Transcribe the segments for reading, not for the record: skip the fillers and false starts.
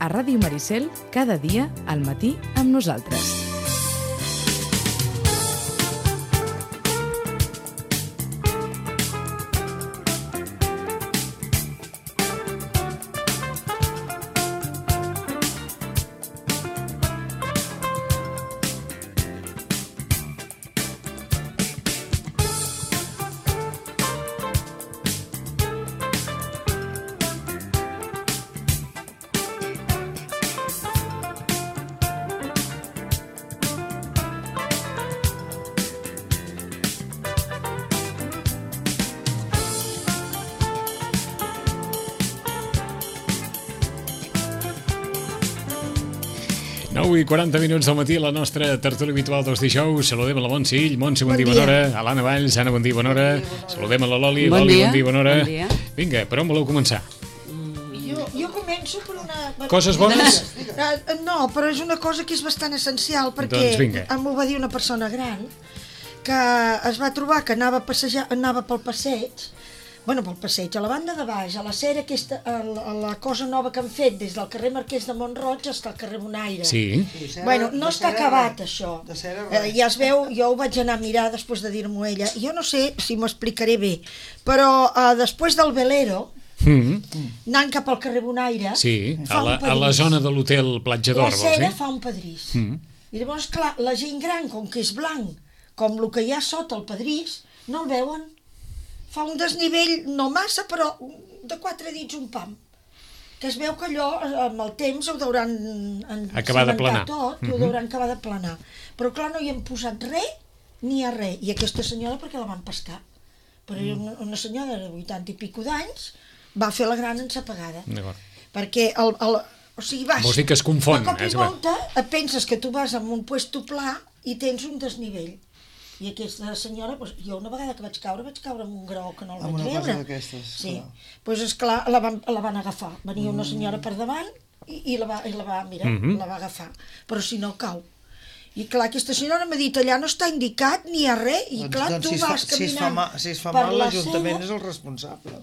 a Ràdio Maricel, cada dia al matí amb nosaltres. I 40 minuts del matí, la nostra tertúlia habitual dels dijous. Saludem a la Montse Ill. Montse, bon dia, bona hora. A l'Anna Valls. Anna, bon dia, bona hora. Saludem a la Loli. Loli, bon dia, bona hora. Vinga, per on voleu començar? Jo començo per una... Coses bones? No, però és una cosa que és bastant essencial, perquè m'ho va dir una persona gran que es va trobar que anava pel passeig, a la banda de baix, a la cera aquesta, a la cosa nova que han fet des del carrer Marquès de Mont-roig fins al carrer Bonaire. Sí. No està acabat això. Ja es veu, jo ho vaig anar a mirar després de dir-m'ho ella. Jo no sé si m'ho explicaré bé, però després del Velero, anant cap al carrer Bonaire, a la zona de l'hotel Platja d'Or, la cera fa un pedrís. I llavors, clar, la gent gran, com que és blanc, com el que hi ha sota el pedrís, no el veuen. Fa un desnivell, no massa, però de 4 dits un pam. Que es veu que allò, amb el temps, ho deuran acabar de planar. Tot, ho deuran acabar de planar. Però clar, no hi hem posat res, ni a res. I aquesta senyora, perquè la van pescar. Però una senyora de 80 i pico d'anys va fer la gran ensapegada. Perquè o sigui, vas... Vols dir que es confon. De cop i volta et penses que tu vas en un puesto pla i tens un desnivell. I aquesta senyora, jo una vegada que vaig caure amb un graó que no el vaig veure. Amb una cosa d'aquestes. Sí. Doncs esclar, la van agafar. Venia una senyora per davant i la va agafar. Però si no cau. I clar, aquesta senyora m'ha dit, allà no està indicat ni a res. I clar, tu vas caminant si es fa mal, l'Ajuntament és el responsable.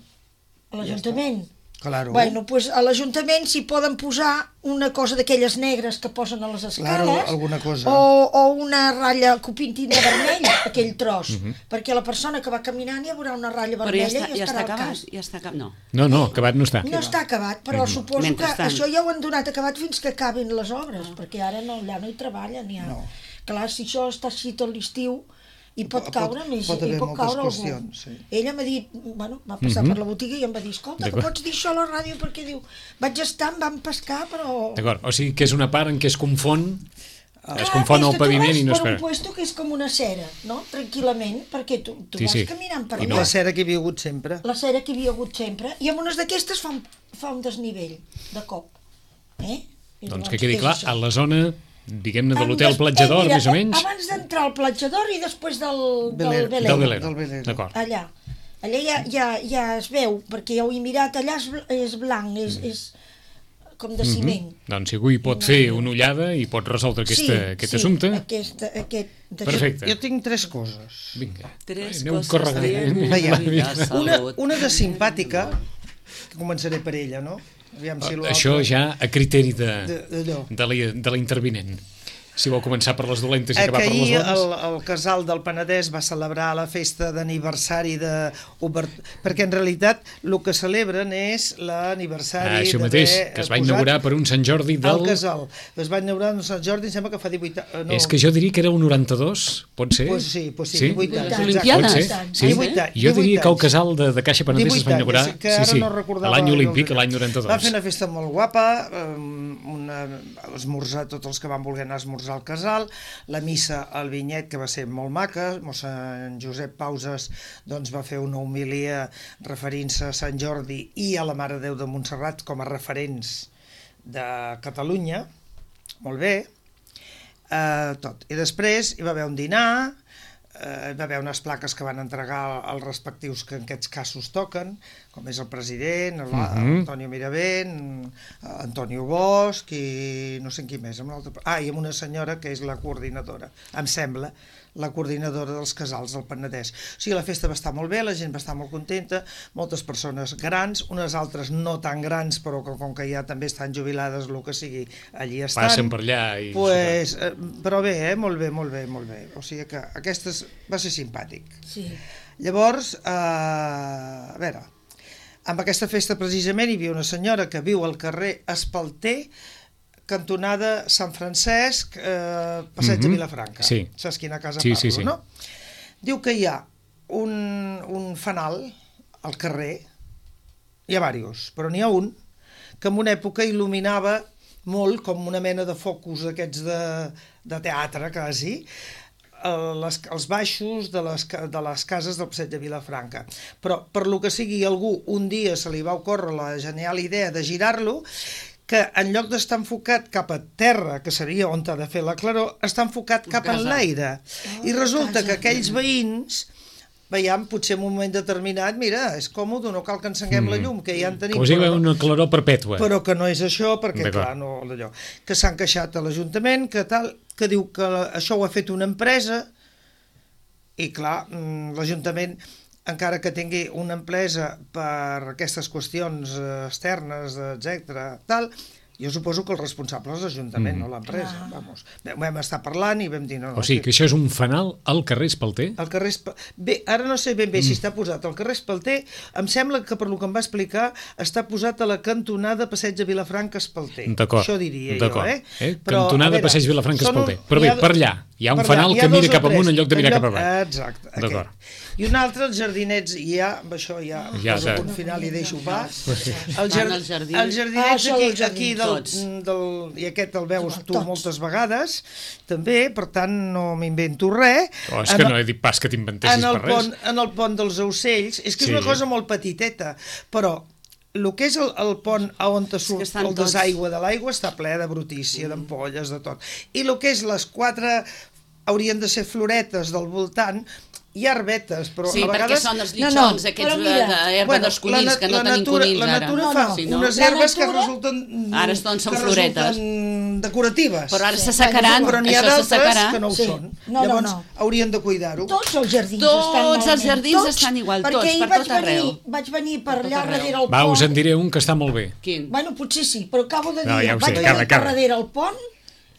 L'Ajuntament? Claro. Doncs a l'Ajuntament s'hi poden posar una cosa d'aquelles negres que posen a les escales, alguna cosa. O una ratlla copintina vermella, aquell tros, perquè la persona que va caminant ja veurà una ratlla vermella i estarà al cas. Ja està acabat? No, acabat no està. No està acabat, però suposo que això ja ho han donat acabat fins que acabin les obres, perquè ara allà no hi treballen. Clar, si això està així tot l'estiu, i pot caure més, i pot caure algú. Ella m'ha dit, va passar per la botiga i em va dir, escolta, que pots dir això a la ràdio, perquè diu, vaig estar, em van pescar, però... D'acord, o sigui que és una part en què es confon el paviment i no es per un puesto que és com una cera, no? Tranquil·lament, perquè tu vas caminant per allà. La cera que hi havia hagut sempre. La cera que hi havia hagut sempre, i amb unes d'aquestes fa un desnivell, de cop. Doncs que quedi clar, a la zona... diguem-ne de l'hotel Platja d'Or, més o menys. Abans d'entrar al Platja d'Or i després del Velero. D'acord. Allà ja es veu, perquè ja ho he mirat, allà és blanc, és com de ciment. Doncs si algú hi pot fer una ullada i pot resoldre aquest assumpte. Perfecte. Jo tinc 3 coses. Vinga. 3 coses. Una de simpàtica, que començaré per ella, no? Això ja a criteri de la intervinent. Si vol començar per les dolentes i acabar per les bones. Ahir el Casal del Penedès va celebrar la festa d'aniversari perquè en realitat el que celebren és l'aniversari això mateix, que es va inaugurar per un Sant Jordi del... El Casal. Es va inaugurar un Sant Jordi, em sembla que fa 18 anys. És que jo diria que era un 92, pot ser? Pues sí, 18 anys. Olimpiades? Sí, jo diria que el Casal de Caixa Penedès es va inaugurar l'any olímpic, l'any 92. Va fer una festa molt guapa, esmorzar tots els que van voler anar a esmorzar al Casal, la missa al Vinyet, que va ser molt maca, mossèn Josep Pauses doncs, va fer una homilia referint-se a Sant Jordi i a la Mare de Déu de Montserrat com a referents de Catalunya, molt bé, tot. I després hi va haver un dinar, hi va haver unes plaques que van entregar als respectius que en aquests casos toquen, com és el president, Antonio Miravent, Antonio Bosch i no sé qui més. I amb una senyora que és la coordinadora, em sembla, la coordinadora dels casals del Penedès. O sigui, la festa va estar molt bé, la gent va estar molt contenta, moltes persones grans, unes altres no tan grans, però com que ja també estan jubilades, el que sigui, allí estan. Passen per allà. Però bé, molt bé. O sigui que aquest va ser simpàtic. Sí. Llavors, a veure, amb aquesta festa precisament hi havia una senyora que viu al carrer Espalter, cantonada Sant Francesc, passeig de Vilafranca. Sí. Saps quina casa parlo, no? Diu que hi ha un fanal al carrer, hi ha diversos, però n'hi ha un que en una època il·luminava molt, com una mena de focus d'aquests de teatre, quasi, els baixos de les cases del passeig de Vilafranca. Però, per lo que sigui, algú un dia se li va ocórrer la genial idea de girar-lo, que en lloc d'estar enfocat cap a terra, que seria on ha de fer la claror, està enfocat cap en l'aire. I resulta que aquells veïns veiem, potser en un moment determinat, mira, és còmode, no cal que encenguem la llum, que ja en tenim. Com si hi ha una claror perpètua. Però que no és això, perquè clar, no, allò, que s'han queixat a l'Ajuntament, que diu que això ho ha fet una empresa, i clar, l'Ajuntament, encara que tingui una empresa per aquestes qüestions externes, etc., tal, jo suposo que el responsable és l'Ajuntament, no l'empresa. Vamos. Vam estar parlant i vam dir... No, o sigui, que això és un fanal al carrer Espalter? Al carrer Espalter... Bé, ara no sé ben bé si està posat al carrer Espalter, em sembla que per lo que em va explicar està posat a la cantonada Passeig de Vilafranca Espalter. D'acord. Això diria jo, Cantonada Passeig de Vilafranca Espalter. Però bé, per allà, hi ha un fanal que mira cap amunt en lloc de mirar cap avall. Exacte. D'acord. I un altre, els jardinets, amb això ja poso punt final i deixo pas. Els jardinets aquí i aquest el veus tu moltes vegades, també, per tant no m'invento res. És que no he dit pas que t'inventessis per res. En el pont dels Ocells, és que és una cosa molt petiteta, però el que és el pont on surt el desaigüe de l'aigua està ple de brutícia, d'ampolles, de tot. I el que és les 4 haurien de ser floretes del voltant, hi ha arbetes, però sí, a vegades... Sí, perquè són els lliçons, aquests d'herba dels conills, que no tenim conills ara. La natura fa unes herbes que resulten... Ara són floretes. Decoratives. Però ara s'assecaran, però n'hi ha d'altres que no ho són. Llavors haurien de cuidar-ho. Tots els jardins estan igual, tots, per tot arreu. Vaig venir per allà darrere el pont... Va, us en diré un que està molt bé. Quin? Bueno, potser sí, però acabo de dir, vaig venir per darrere el pont.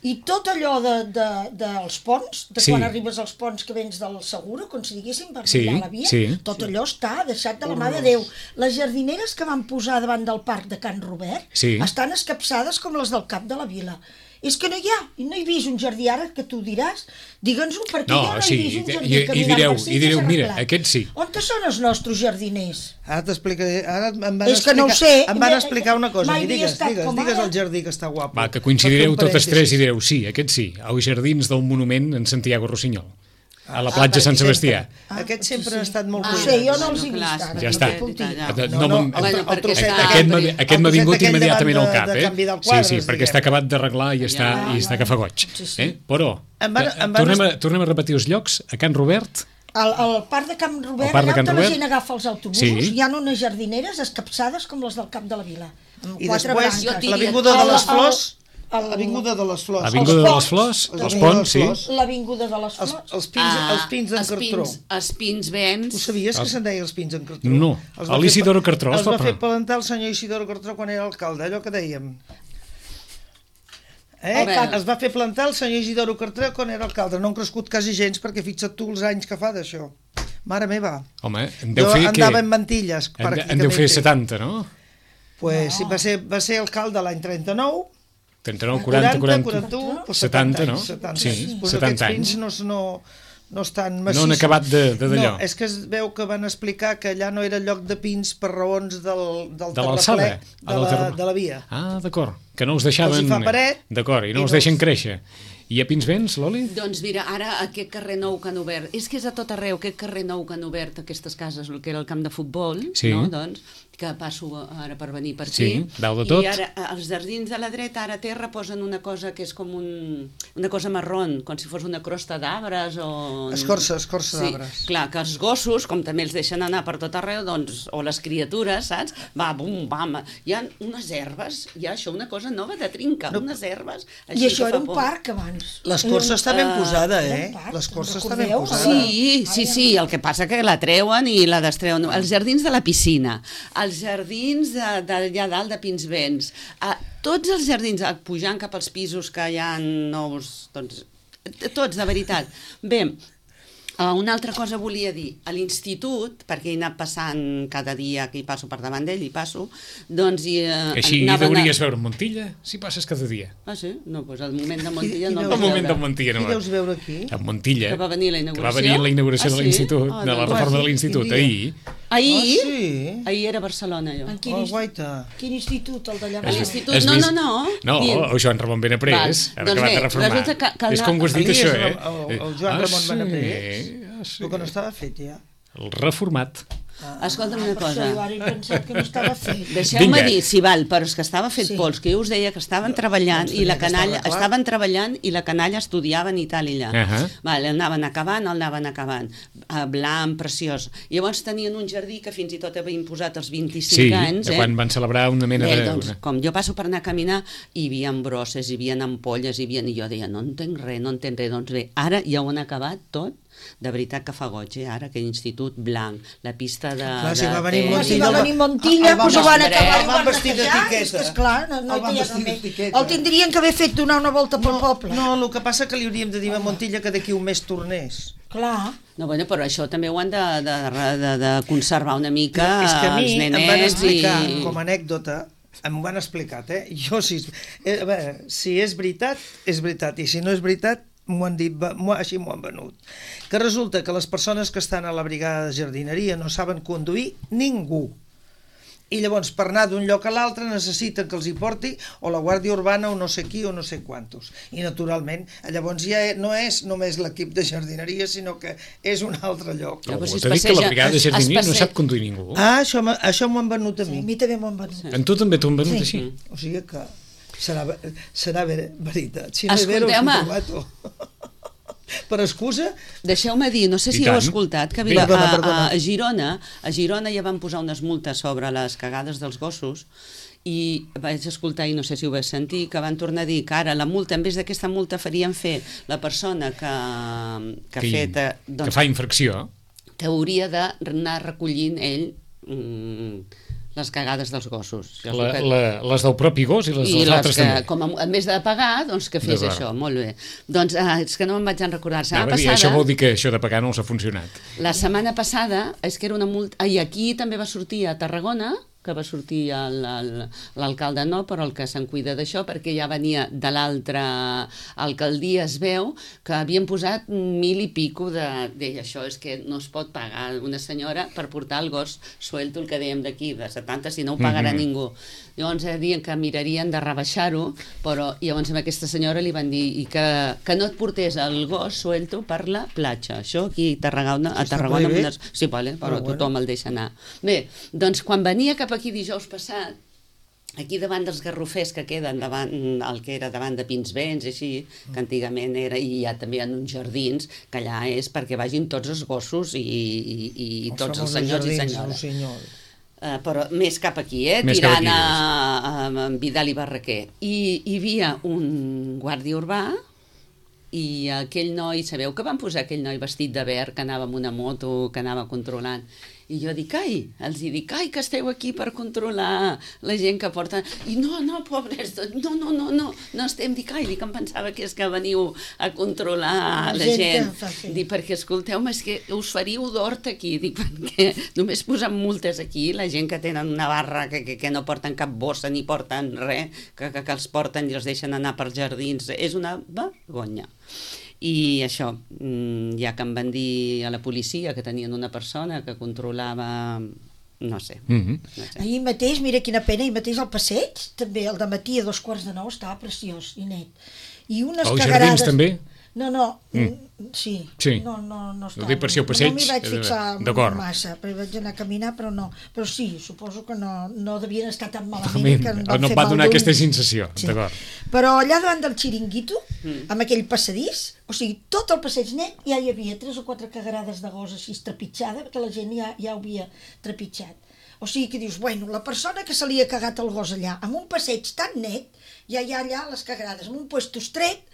I tot allò dels ponts, quan arribes als ponts que vens del Segura, com si diguéssim, per mirar la via, tot allò està deixat de la mà de Déu. Les jardineres que van posar davant del parc de Can Robert estan escapçades com les del cap de la vila. És que no he vist un jardí, ara que tu diràs, digue'ns-ho, perquè jo no he vist un jardí caminant per i direu, mira, aquest sí. On són els nostres jardiners? Ara t'explicaré, ara em van explicar una cosa, digues el jardí que està guapo. Va, que coincidireu totes tres i direu, sí, aquest sí, als jardins del monument en Santiago Rossinyol, a la platja Sant Sebastià. Aquest sempre ha estat molt cuidat. No sé, jo no els he vist ara. Ja està. Aquest m'ha vingut immediatament al cap, Sí, perquè està acabat d'arreglar i està que fa goig. Però, tornem a repetir els llocs, a Can Robert... Al parc de Can Robert, allà on la gent agafa els autobusos, hi ha unes jardineres escapçades com les del cap de la vila. I després, l'Avinguda de les Flors... L'Avinguda de les Flors. L'Avinguda de les Flors, els ponts, sí. L'Avinguda de les Flors. Els pins d'en Cartró. Els pins vents. Tu sabies que se'n deia els pins d'en Cartró? No, l'Isidoro Cartró. Els va fer plantar el senyor Isidoro Cartró quan era alcalde, allò que dèiem. Es va fer plantar el senyor Isidoro Cartró quan era alcalde. No han crescut quasi gens, perquè fixa't tu els anys que fa d'això. Mare meva. Home, en deu fer... Jo andava en mantilles, pràcticament. En deu fer 70, no? Pues va ser alcalde l'any 39, 39, 40, 41, 70, no? Sí, 70 anys. No estan massissos. No han acabat d'allò. No, és que es veu que van explicar que allà no era lloc de pins per raons del terraplè de la via. Ah, d'acord. Que no els deixaven... Els hi fa paret. D'acord, i no els deixen créixer. I a Pinsbens, Loli? Doncs mira, ara aquest carrer nou que han obert, és que és a tot arreu, aquest carrer nou que han obert aquestes cases, el que era el camp de futbol, no? Doncs, que passo ara per venir per aquí. Sí, dalt de tot. I ara, als jardins de la dreta, ara a terra posen una cosa que és com una cosa marrón, com si fos una crosta d'arbres o... Escorça d'arbres. Clar, que els gossos, com també els deixen anar per tot arreu, doncs, o les criatures, saps? Va, bum, bam. Hi ha unes herbes, hi ha això, una cosa nova de trinca, unes herbes... I això era un parc abans. L'escorça està ben posada, L'escorça està ben posada. Sí, el que passa que la treuen i la destreuen. Els jardins de la piscina, els jardins d'allà dalt de Pinsbens, tots els jardins, pujant cap als pisos que hi ha nous, doncs, tots, de veritat. Bé, una altra cosa volia dir, a l'institut, perquè he anat passant cada dia que hi passo per davant d'ell, hi passo, doncs... Així deuries veure Montilla, si passes cada dia. Ah, sí? No, doncs al moment de Montilla no el veus veure. Qui deus veure aquí? A Montilla. Que va venir la inauguració. Que va venir la inauguració de l'institut, de la reforma de l'institut, ahir. Ahir? Ahir era a Barcelona, jo. Quin institut, el d'allà? L'institut, no. No, el Joan Ramon Benaprés, ara acabat de reformar. És com ho has dit, això, El Joan Ramon Benaprés. El que no estava fet, ja. El reformat. Escolta'm una cosa. Jo ara he pensat que no estava fet. Deixeu-me dir, si val, però és que estava fet pols, que jo us deia que estaven treballant i la canalla estudiaven i tal i allà. Anaven acabant, blanc, preciós. Llavors tenien un jardí que fins i tot havien posat els 25 anys. Sí, quan van celebrar una mena de... Doncs, com jo passo per anar a caminar, hi havia brosses, hi havia ampolles, i jo deia, no entenc res. Doncs bé, ara ja ho han acabat tot. De veritat que fa goig, ara, aquell institut blanc, la pista de... Clar, si va venir Montilla, doncs ho van acabar el van vestir d'etiqueta. Esclar, no hi ha remei. El tindrien que haver fet donar una volta pel poble. No, el que passa que li hauríem de dir a Montilla que d'aquí un mes tornés. Clar. No, bueno, però això també ho han de conservar una mica els nenets. És que a mi em van explicar, i... com a anècdota, m'ho han explicat, Jo, si és veritat, és veritat, i si no és veritat, m'ho han dit, així m'ho han venut. Que resulta que les persones que estan a la brigada de jardineria no saben conduir ningú. I llavors, per anar d'un lloc a l'altre, necessiten que els hi porti o la Guàrdia Urbana o no sé qui o no sé quantos. I, naturalment, llavors ja no és només l'equip de jardineria, sinó que és un altre lloc. Però t'ha dit que la brigada de jardineria no sap conduir ningú. Això m'ho han venut a mi. A mi també m'ho han venut. En tu també t'ho han venut així? O sigui que... Serà veritat. Si no és vera, us ho prometo. Per excusa... Deixeu-me dir, no sé si heu escoltat, que a Girona ja van posar unes multes sobre les cagades dels gossos i vaig escoltar, i no sé si ho vaig sentir, que van tornar a dir que ara la multa, en vez d'aquesta multa farien fer la persona que fa infracció, que hauria d'anar recollint ell les cagades dels gossos. Les del propi gos i les dels altres també. Com en vez de pagar, doncs que fes això, molt bé. Doncs és que no me'n vaig recordar. Això vol dir que això de pagar no els ha funcionat. La setmana passada, és que era una multa... I aquí també va sortir a Tarragona, que va sortir l'alcalde no, però el que se'n cuida d'això, perquè ja venia de l'altra alcaldia, es veu que havien posat 1.000 i pico deia, això és que no es pot pagar una senyora per portar el gos suelto, el que dèiem d'aquí, de 70, si no ho pagarà ningú. Llavors diuen que mirarien de rebaixar-ho, però llavors a aquesta senyora li van dir que no et portés el gos suelto per la platja. Això aquí a Tarragona... Sí, però tothom el deixa anar. Bé, doncs quan venia cap aquí dijous passat, aquí davant dels garrofers que queden davant, el que era davant de Pinsbens, així, que antigament era, i hi ha també en uns jardins, que allà és perquè vagin tots els gossos i tots els senyors i senyores. Però més cap aquí, tirant a Vidal i Barraquer. I hi havia un guàrdia urbà i aquell noi, sabeu que van posar aquell noi vestit de verd que anava amb una moto, que anava controlant, i jo dic, els dic, que esteu aquí per controlar la gent que porta... I no, pobres, no estem, dic, em pensava que és que veniu a controlar la gent. Dic, perquè escolteu-me, és que us faríeu d'hort aquí, dic, perquè només posant multes aquí, la gent que tenen una barra, que no porten cap bossa ni porten res, que els porten i els deixen anar pels jardins, és una vergonya. I això, ja que em van dir a la policia que tenien una persona que controlava, no sé. Ahir mateix, mira quina pena, ahir mateix al passeig, també el dematí a 8:45 estava preciós i net. i unes Els cagarades... jardins també? No, sí. No ho dic per si ho passeig. No m'hi vaig fixar massa, perquè vaig anar a caminar, però no. Però sí, suposo que no devien estar tan malament que em van fer mal no va donar aquesta sensació, d'acord. Però allà davant del xiringuito, amb aquell passadís, o sigui, tot el passeig net ja hi havia 3 o 4 cagarades de gos així trepitjada, perquè la gent ja ho havia trepitjat. O sigui que dius, bueno, la persona que se li ha cagat el gos allà, amb un passeig tan net, ja hi ha allà les cagarades, amb un puesto estret,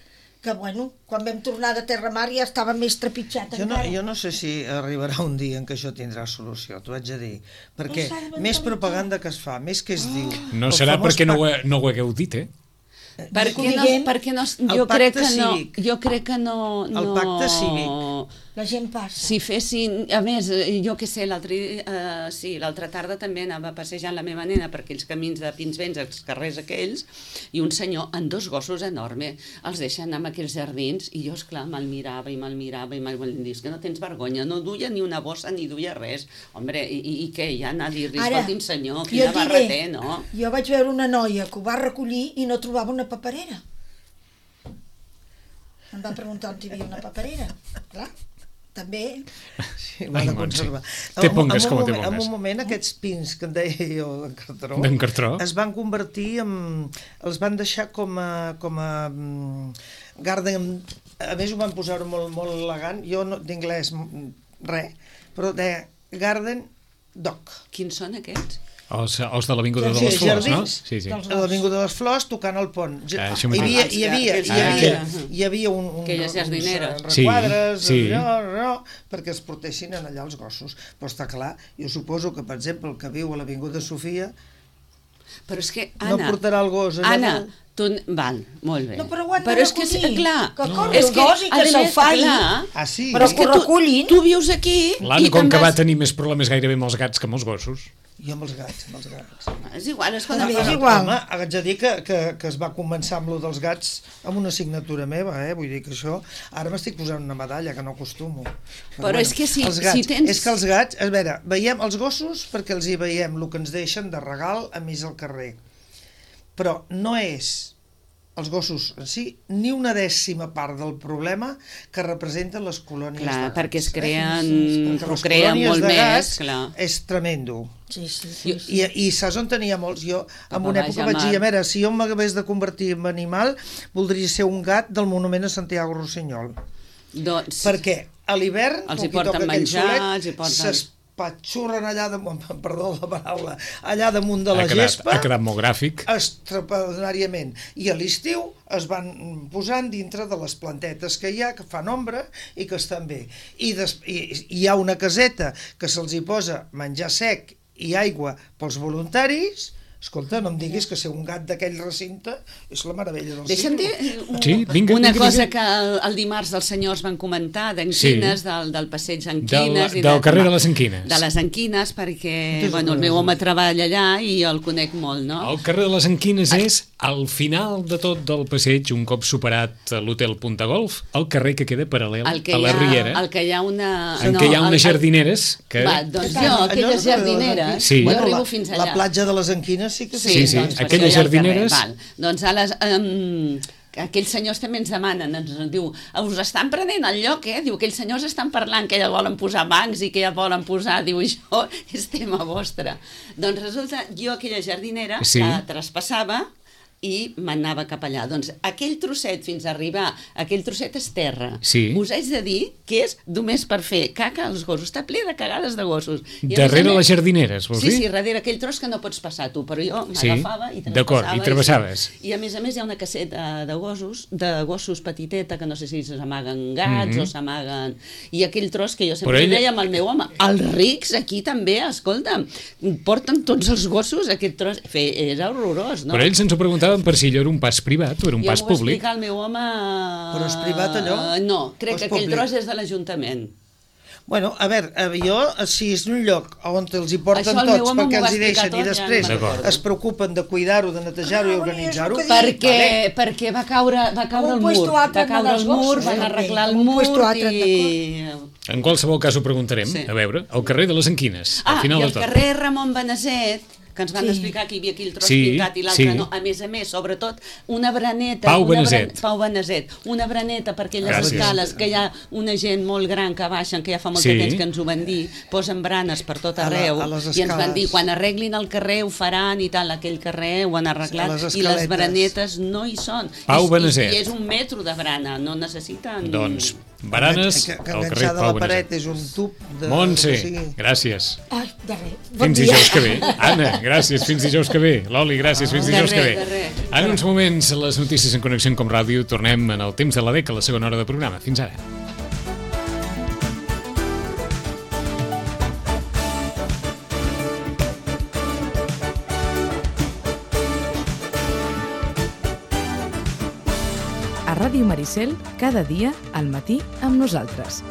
que, bueno, quan vam tornar de Terramar ja estava més trepitjat encara. Jo no sé si arribarà un dia en què això tindrà solució, t'ho haig de dir, perquè més propaganda que es fa, més que es diu... No serà perquè no ho hagueu dit, perquè no, jo crec que no... El pacte cívic. La gent passa. Si fessin, a més, jo què sé, l'altra tarda també anava passejant la meva nena per aquells camins de Pinsbens, els carrers aquells, i un senyor amb 2 gossos enormes els deixa anar amb aquells jardins, i jo, esclar, me'l mirava i dius que no tens vergonya, no duia ni una bossa ni duia res. Hombre, i què? Ja anar a dir-li, escolti'm senyor, quina barra té, no? Jo vaig veure una noia que ho va recollir i no trobava una paperera. Em va preguntar on hi havia una paperera. Clar, també... Sí, l'ha de conservar. Te pongues com te pongues. En un moment, aquests pins que en deia jo d'en Cartró, es van convertir en... els van deixar com a garden... A més ho van posar molt elegant, jo d'inglès res, però de garden dog. Quins són aquests? Els de l'Avinguda de les Flors, no? Sí. A l'Avinguda de les Flors, tocant el pont. Hi havia aquelles jardineres, requadres, perquè es protegin allà els gossos. Però està clar, jo suposo que, per exemple, el que viu a l'Avinguda Sofia no portarà el gos allà. Val, molt bé. No, però ho han de recollir. Que corri el gos i que se'l falli. Però que ho recullin. Tu vius aquí... L'Anna, com que va tenir més problemes gairebé amb els gats que amb els gossos. Jo amb els gats. És igual, escolta. És igual. Home, haig de dir que es va començar amb lo dels gats amb una signatura meva, vull dir que això... Ara m'estic posant una medalla, que no acostumo. Però és que si tens... És que els gats, a veure, veiem els gossos perquè els hi veiem el que ens deixen de regal a mig al carrer. Però no és els gossos en si ni una 10ª part del problema que representen les colònies de gats. Clar, perquè es procreen molt més. És tremendo. Sí. I saps on tenia molts? Jo en una època vaig dir, a veure, si jo m'hagués de convertir en animal, voldria ser un gat del monument a Santiago Rossinyol. Perquè a l'hivern, els hi porten menjar, els hi porten... patxurren allà damunt, perdó la paraula, allà damunt de la gespa. Ha quedat molt gràfic. Extraordinàriament. I a l'estiu es van posant dintre de les plantetes que hi ha, que fan ombra i que estan bé. I hi ha una caseta que se'ls hi posa menjar sec i aigua pels voluntaris. Escolta, no em diguis que ser un gat d'aquell recinte és la meravella del Deixa'm cicle. dir una cosa que el dimarts els senyors van comentar d'Enquines, del passeig Enquines. Del carrer de les Enquines. De les Enquines, perquè el meu home treballa allà i el conec molt, no? El carrer de les Enquines és al final de tot del passeig, un cop superat l'hotel Punta Golf, el carrer que queda paral·lel a la Riera. El que hi ha una... En què hi ha unes jardineres que... Doncs jo, aquelles jardineres, jo arribo fins allà. La platja de les Enquines sí que sí. Doncs aquelles jardineres... Doncs aquells senyors també ens demanen, ens diu, us estan prenent el lloc, diu, aquells senyors estan parlant que ja volen posar bancs i que ja volen posar, diu, això és tema vostre. Doncs resulta, jo aquella jardinera la traspassava i m'anava cap allà. Doncs aquell trosset fins a arribar, aquell trosset és terra. Us haig de dir que és només per fer caca als gossos. Està ple de cagades de gossos. Darrere les jardineres, vols dir? Sí, darrere aquell tros que no pots passar tu, però jo m'agafava i traspassava. D'acord, i travessaves. I a més hi ha una caseta de gossos petiteta, que no sé si s'amaguen gats o s'amaguen... I aquell tros que jo sempre deia amb el meu home, els rics aquí també, escolta'm, porten tots els gossos aquest tros... Era horrorós, no? Però ells ens ho preguntaven per si allò era un pas privat o era un pas públic. Jo m'ho va explicar el meu home... Però és privat allò? No, crec que aquell tros és de l'Ajuntament. Bueno, a veure, jo, si és un lloc on els hi porten tots perquè els hi deixen i després es preocupen de cuidar-ho, de netejar-ho i organitzar-ho... Perquè va caure el mur, van arreglar el mur i... En qualsevol cas ho preguntarem, a veure, al carrer de les Enquines, al final de tot. I al carrer Ramon Beneset, que ens van explicar que hi havia aquí el tros pintat i l'altre no. A més, sobretot, una braneta... Pau Beneset. Pau Beneset. Una braneta per aquelles escales, que hi ha una gent molt gran que baixen, que ja fa molt de temps que ens ho van dir, posen branes per tot arreu, i ens van dir, quan arreglin el carrer ho faran i tal, aquell carrer ho han arreglat, i les branetes no hi són. Pau Beneset. I és 1 metro de brana, no necessiten... Doncs, baranes al carrer Pau Beneset. La paret és un tub de... Montse, gràcies. Ai, de res. Fins dijous que ve. Anna, gràcies, fins dijous que ve. Loli, gràcies, fins dijous que ve. En uns moments, les notícies en Connexió com Ràdio, tornem en el temps de la DEC a la segona hora de programa. Fins ara. A Ràdio Maricel, cada dia al matí amb nosaltres.